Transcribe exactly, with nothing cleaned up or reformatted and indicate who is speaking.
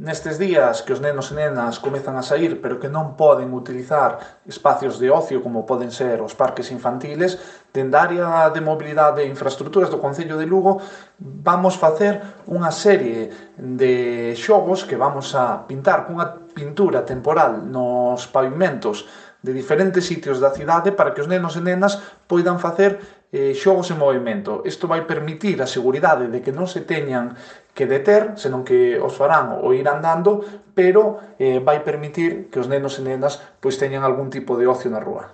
Speaker 1: nestes días que os nenos e nenas comezan a saír pero que non poden utilizar espacios de ocio como poden ser os parques infantiles, dende a área de mobilidade e infraestructuras do Concello de Lugo vamos facer unha serie de xogos que vamos a pintar cunha pintura temporal nos pavimentos de diferentes sitios da cidade para que os nenos e nenas poidan facer eh, xogos en movimento. Isto vai permitir a seguridade de que non se teñan que deter, senón que os farán o ir andando, pero eh, vai permitir que os nenos e nenas pois teñan algún tipo de ocio na rúa.